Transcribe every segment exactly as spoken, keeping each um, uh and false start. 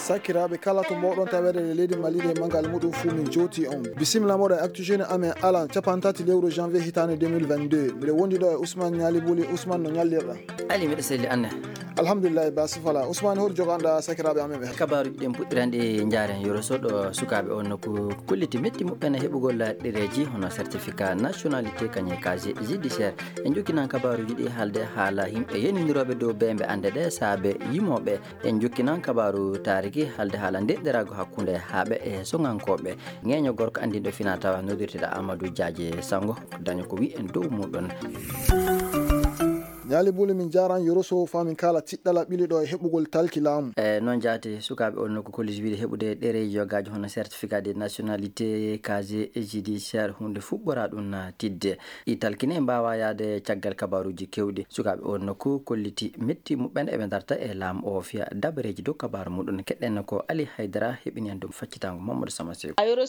Sakiraaɓe kala to mboɗon taweede e leydi Mali ɗe manngal muɗum fuu min jooti on. Bisimilla moɗon e Actu Jeune amen alan capanɗe tati lewru janvier hitaande deux mille vingt-deux. Miɗo wondi ɗo e Ousmane Ñaali Buli. Ousmane, no ñallirɗa? Ali, miɗo selli, anne? Alhamdulillahi, ba sifala. Ousmane, hol joganɗa sakiraaɓe amen ɓe? Kabaaruuji ɗin puɗɗiranɗi njaaren Yoro Sow ɗo sukaaɓe on nokku kolliti metti muɓɓen e heɓugol ɗereeji hono certificat nationalité kañum e casier judiciaire. En jokkinan kabaaruuji ɗi haalde haala yimɓe yenindirooɓe dow beembe annde ɗe saabe yimooɓe. En jokkinan kabaaru taariki haalde haala ndeɗɗiraago hakkunde haaɓe e soŋankooɓe. Ŋeeño gorko anndinɗo fina tawa noddirteɗo Amadou Diadje Sango, ko daño ko wi'en dow muɗum. Ñaali Buli, min jaaran Yoro Sow faa min kaala tiɗɗala ɓili ɗo e heɓugol talki laamu. E noon jaati, sukaaɓe on nokku kolliti wiide heɓude ɗereeji yogaaji hono certificat de nationalité, casier judiciaire, huunde fuɗɗoraa ɗum na tidde. Ɗi talkine mbaawa yahde caggal kabaaruuji keewɗi. Sukaaɓe on nokku kolliti metti muɓɓen eɓe ndarta e laamu o fiya dabareeji dow kabaaru muɗum. Keɗɗen ko Ali Haydara heɓini en ɗum. Faccitango Mamadou Sama Seeku. Yoro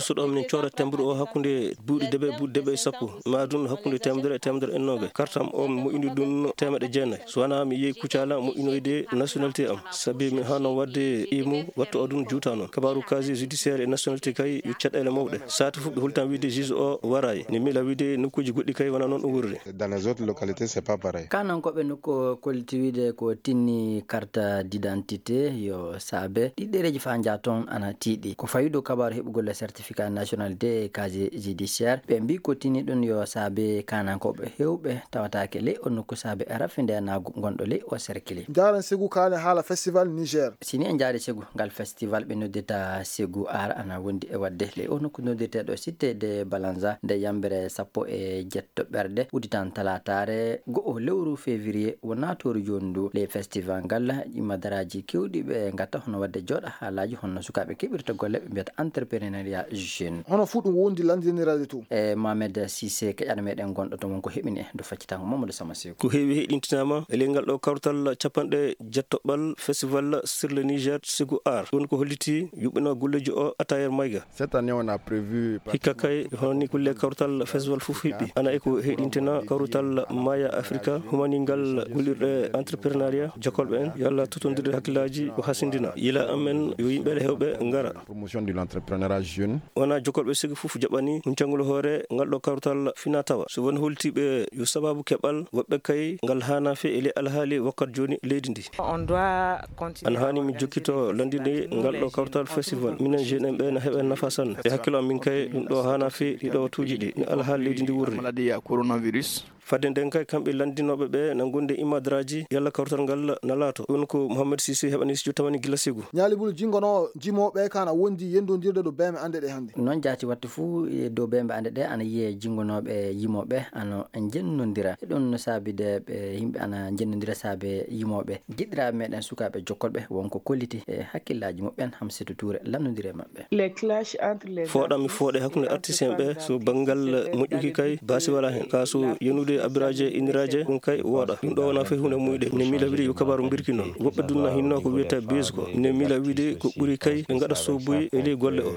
Sow ɗo min cooda tembuɗo o hakkunde buuɗi deɓe, buuɗi deɓe e sappo, ma ɗum hakkunde teemedere e teemedere e noogay. Kartam o mi moƴƴini ɗum teemedde jeenay. So wanaa mi yehi Kucala moƴƴinoyde nationalité am. Sabi mi haano waɗde imu wattu o ɗum juuta noon. Kabaaru casier judiciaire e nationalité kay yo caɗeele mawɗe. Saati fof ɓe hultan wiide juge o waraay. Ne miila wiide nokkuuji goɗɗi kay wona noon ɗum wurri. Dans les autres localités, c'est pas pareil. Kanankooɓe nokku kolliti wiide ko tinni carte d'identité yo saabe ɗi ɗereeji faa njaa toon ana tiiɗi. Ko fawi dow kabaaru heɓugol certificat nationalité e casier judiciaire, ɓe mbii ko tinni ɗum yo saabe kanankooɓe heewɓe tawataake ley o nokku saabe rafindeyanaagu ngonɗo ley o cercle. Njaaren Segu kaalen haala festival Niger. Si ni en njaari Segu, ngal festival ɓe noddita Segu Art ana wondi e waɗde ley o nokku noddirteeɗo Cité de Balanza nde yambere sappo e jetto ɓerɗe udditan talaataare go'o lewru février. Wonaa tooru jooni ndu ley festival ngal, imadaraaji keewɗi ɓe ngatta hono waɗde jooɗa haalaaji honno sukaaɓe keɓirta golle ɓe mbiyata entrepreneuriat jeune. Hono fuu ɗum wondi lanndiniraade to. E Mohamed Cissé keƴano meɗen gonɗo to mon ko heɓini en ndu faccitango Mamadou Sama Seeku. Ko heewi heɗintinaama e ley ngal ɗo kawtal capanɗe jettoɓal festival sur le Niger Segu Art. Ɗum ko holliti yuɓɓina golleeji o Atayer Mayga. Cette année, on a prévu... Hikka kay, hono ni kulle kawtal festival fof hiɓɓi. Ana e ko heɗintina kawtal Maya Africa, humaningal gollirɗe entrepreneuriat, jokolɓe en, yalla totondirde hakkillaaji ko hasindina. Yila amen yo yimɓe heewɓe ngara. Promotion de l'entrepreneuriat jeune. Wona jokolɓe sigi fof jaɓani huncangol hoore ngal ɗo kawtal fina tawa. So won holtiiɓe yo sababu keɓal, woɓɓe kay ngal haana fe e ley alhaali wakkati jooni leydi ndi. On doit continuer. Ana haani mi jokkito lanndinde ngal ɗo kawtal festival. Minen jeune en ɓe na heɓa nafa sanne. E hakkilo am min kay ɗum ɗo haana fi ɗiɗo watuuji ɗi. No alhaali leydi ndi wurri. Maladie ya coronavirus. Fadde nden kay kamɓe lanndinooɓe ɓe na ngondi imadraji yalla kawtal ngal na laato. Ɗum ko Mohamed Sisi heɓani studio tamani gila Segu. Ñaali Bulu jingonoo jimooɓe kan a wondi yendondirde ɗo beeme annde ɗe hannde. Noon jaati wattu fuu e dow beembe annde ɗe ana yiyee jingonooɓe yimooɓe ano jennondira. Ɗum no saabide ɓe yimɓe ana jennondira saabe yimooɓe. Giɗiraaɓe meɗen sukaaɓe jokkolɓe wonko kolliti e hakkillaaji muɓɓen Hamsetu Tuure lannondire maɓɓe. Les clashs entre les... Fooɗam mi fooɗe hakkunde artiste en ɓe so banngal moƴƴuki kay baasi wala hen. Ka so yenude abiraaje inniraaje ɗum kay wooɗa. Ɗum ɗo wona fay hunde muyɗe. Ne miila wiɗe yo kabaru mbirki noon. Woɓɓe dunna hinno ko wiyata base ko. Ne miila wiɗe ko ɓuri kay ɓe ngaɗa sobuye e ley golle o.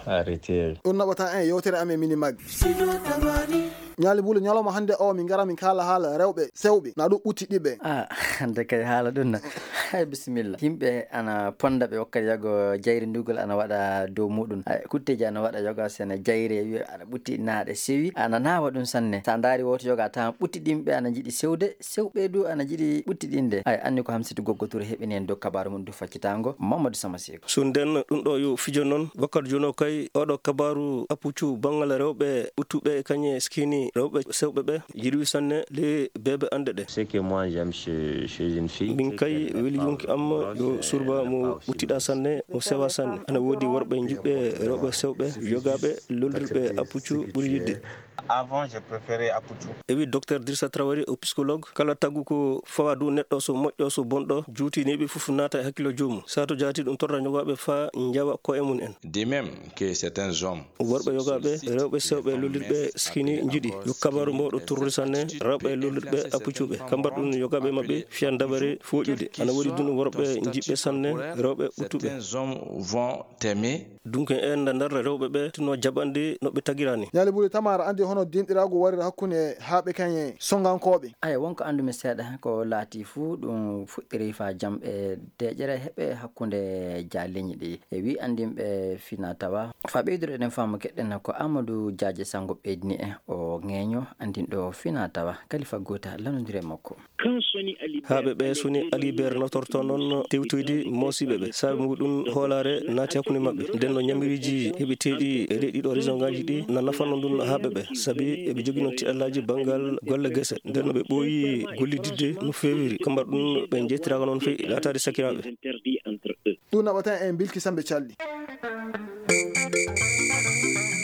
Arrêtez. Ɗum naɓata en yewtere amen mini mag. Ñaali Bulu, ñalawma hannde o min ngara min kaala haala rewɓe sewɓe na ɗum ɓutti ɗiɓe. Ah, hannde kay haala ɗum na. Hay bisimilla. Yimɓe ana ponda ɓe wakkati yago jayri ndugol ana waɗa dow muɗum. Ay, kutteji ana waɗa yoga sene jayri e wiya ana ɓutti naaɗe sewi. Ana naawa ɗum sanne. Sa ndaari woto yoga tawan ɓutti ɗimɓe ana jiɗi sewde. Sewɓe du ana jiɗi ɓuttiɗinde. Ay, anni ko Hamsitu Goggo Touré heɓini en dow kabaaru mum du faccitango Mamadou Sama Seko. So nden ɗum ɗo yo fijo noon, wakkati jono kay oɗo kabaaru appuccu banngal rewɓe ɓuttuɓe e kañe skini rewɓe sewɓe ɓe yiɗi sanne le beebe annde ɗe. Ce que moi j'aime chez, chez une fille, min kay weli yonki am yo surba mo ɓuttiɗa sanne, mo sewa sanne. Ana woodi worɓe jiɓɓe rewɓe sewɓe, yogaaɓe, lollirɓe appuccu ɓuri yiɗde. Avant, je préférais Aputu. E wi docteur Dirsa Traoré o psychologue, kala tagu ko fawa dow neɗɗo so moƴƴo so bonɗo, juuti neeɓi fof naata e hakkilo joomum. Sato jaati ɗum torra ñogaaɓe faa njawa koye mum en. De même que certains hommes. Worɓe yogaaɓe, rewɓe sewɓe lollirɓe skini njiɗi. Yo kabaru mawɗo torrude sanne, rewɓe lollirɓe appucuɓe. Kambar ɗum yogaaɓe maɓɓe fiyan dabare fooƴude. Ana woodi ɗum worɓe jiɓɓe sanne, rewɓe ɓuttuɓe. Certains hommes vont t'aimer. Dunke en nda ndarra rewɓe ɓe tinno jaɓande no ɓe tagirani. Ñaali Bulu Tamara andi Hono dinɗiraagu warira hakkunde haaɓe kañe sonngankooɓe? Aya, wonko anndumi seeɗa, ko laati fuu ɗum fuɗɗiri faa jam e deeƴere heɓe hakkunde jaaleñi ɗi. E wi anndinɓe fina tawa. Faa ɓeydude eɗen faamu keɗɗen ko Amadou Diadji Sango ɓeydini en o ŋeeño anndinɗo fina tawa. Kalifa Gota lanondiri e makko. Haaɓe ɓe soni Aliber notorto noon tewtoyde moosiiɓe ɓe. Saabe muɗum hoolaare naati hakkunde maɓɓe. Nden no ñamiriiji heɓiteeɗi e ɗee ɗiɗo région ngaji ɗi na nafanno ndun haaɓe ɓe. Sabi eɓe jogii noon tiɗallaaji banngal golle gese. Nden no ɓe ɓooyi gollididde no feewiri. Kamba ɗum ɓe njettiraaka noon fey laataade sakiraaɓe. Ɗum naɓata en bilki sambe calɗi.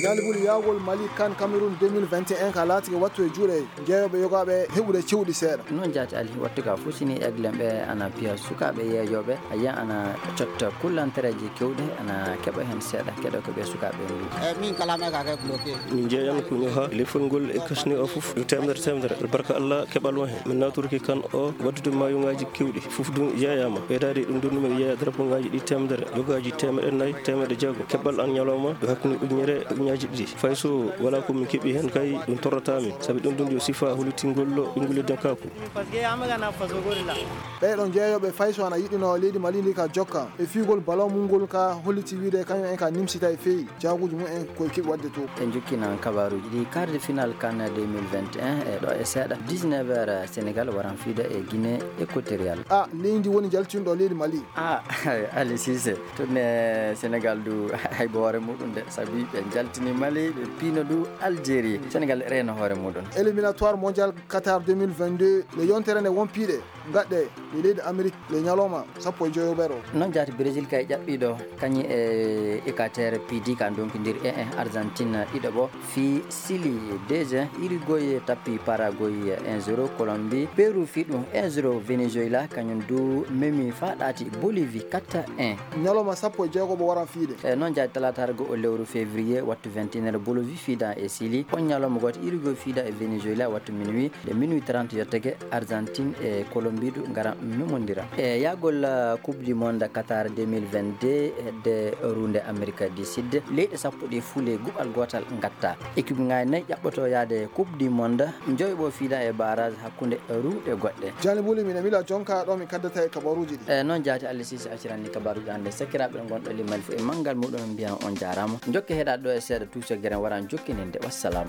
Ñaali buli yaagol Mali kan Cameroun deux mille vingt et un ka laatike wattu e juuɗe jeeyooɓe yogaaɓe heɓude cewɗi seeɗa. Noon jaati Ali, wattu ka fof sini eglen ɓe ana piya sukaaɓe yeeyooɓe, a yiyan ana cotta kullantereeji kewɗe, ana keɓa heen seeɗa keɗo ko ɓe sukaaɓe mbi. E min kala me ka ke bloqué. Min njeeyan ko ñoha lefol ngol e kasni o fof yo teemedere teemedere. Barka Allah keɓal won heen. Min natorki kan o waddude maayungaaji kewɗi. Fof ɗum yeeyaama. Ɓeydaade ɗum ɗum, mi yeeya drapeau ngaaji ɗi teemedere, yogaaji teemeɗe nayi, teemeɗe jeego. Keɓal an ñalawma yo hakkunde ujunere e ujuñaaji ɗiɗi. Fay so walaa ko min keɓi heen kay, ɗum torrataa min. Sabi ɗum ɗum yo sifa hollitingol ɓinngol leddankaaku. Ɓee ɗoo jeeyooɓe fay so ana yiɗino leydi Mali ndi ka jokka e fiigol ballon mum ngol ka holliti wiide kañum en ka nimsita e feewi jaaguuji mum en koye keɓi waɗde to. En jokkinan kabaaruuji ɗi, quart de finale kan deux mille vingt et un e ɗo e seeɗa dix-neuf heures Sénégal waran fiida e Guinée équatoriale. A, leydi woni jaltinɗo leydi Mali. A, Ali Cissé, tun e Sénégal du haybo hoore muɗum de, sabi ɓe jaltini Mali, ɓe piino du Algérie. Sénégal reeno hoore muɗum. Éliminatoire mondial Qatar deux mille vingt-deux, le yontere nde won piiɗe gaɗɗe e leydi Amérique le ñalawma sappo e joyo ɓeɗo. Noon jaati Brésil kay ƴaɓɓiiɗo kañi e Équateur piidi ka ndonkindir e en Argentine ɗiɗo ɓo fii Chili deux un, Uruguay tappi Paraguay un zéro, Colombie, Pérou fii ɗum un zéro, Venezuela kañum du memi faa ɗaati Bolivie quatre un. Ñalawma sappo e jeego mo waran fiide. E noon jaati talaataare goo o lewru février wattu vingt et un heures Bolivie fiida e Chili, on ñalawma gooto Uruguay fiida e Venezuela wattu minuit, de minuit trente yottake Argentine e Colombie du ngara memondira. E yaagol, uh, Coupe du Monde Qatar deux mille vingt-deux hedde ruunde Amérique du Sud, leyɗe sappo ɗe fuule guɓal gootal ngatta. Équipe ngaji nayi ƴaɓɓoto yaade Coupe du Monde, joyo ɓo fiida e barrage hakkunde ruuɗe goɗɗe. Jani Buli, mina mila jonka ɗo mi kaddata e kabaruji ɗi. E noon jaati Allah sisi acciranni kabaruji hannde sakiraaɓe gonɗo limal fof e manngal muɗum mbiyan on jaaraama. Jokke heɗaade ɗo e seeɗa tuuso geren waran jokkininde. Wassalam.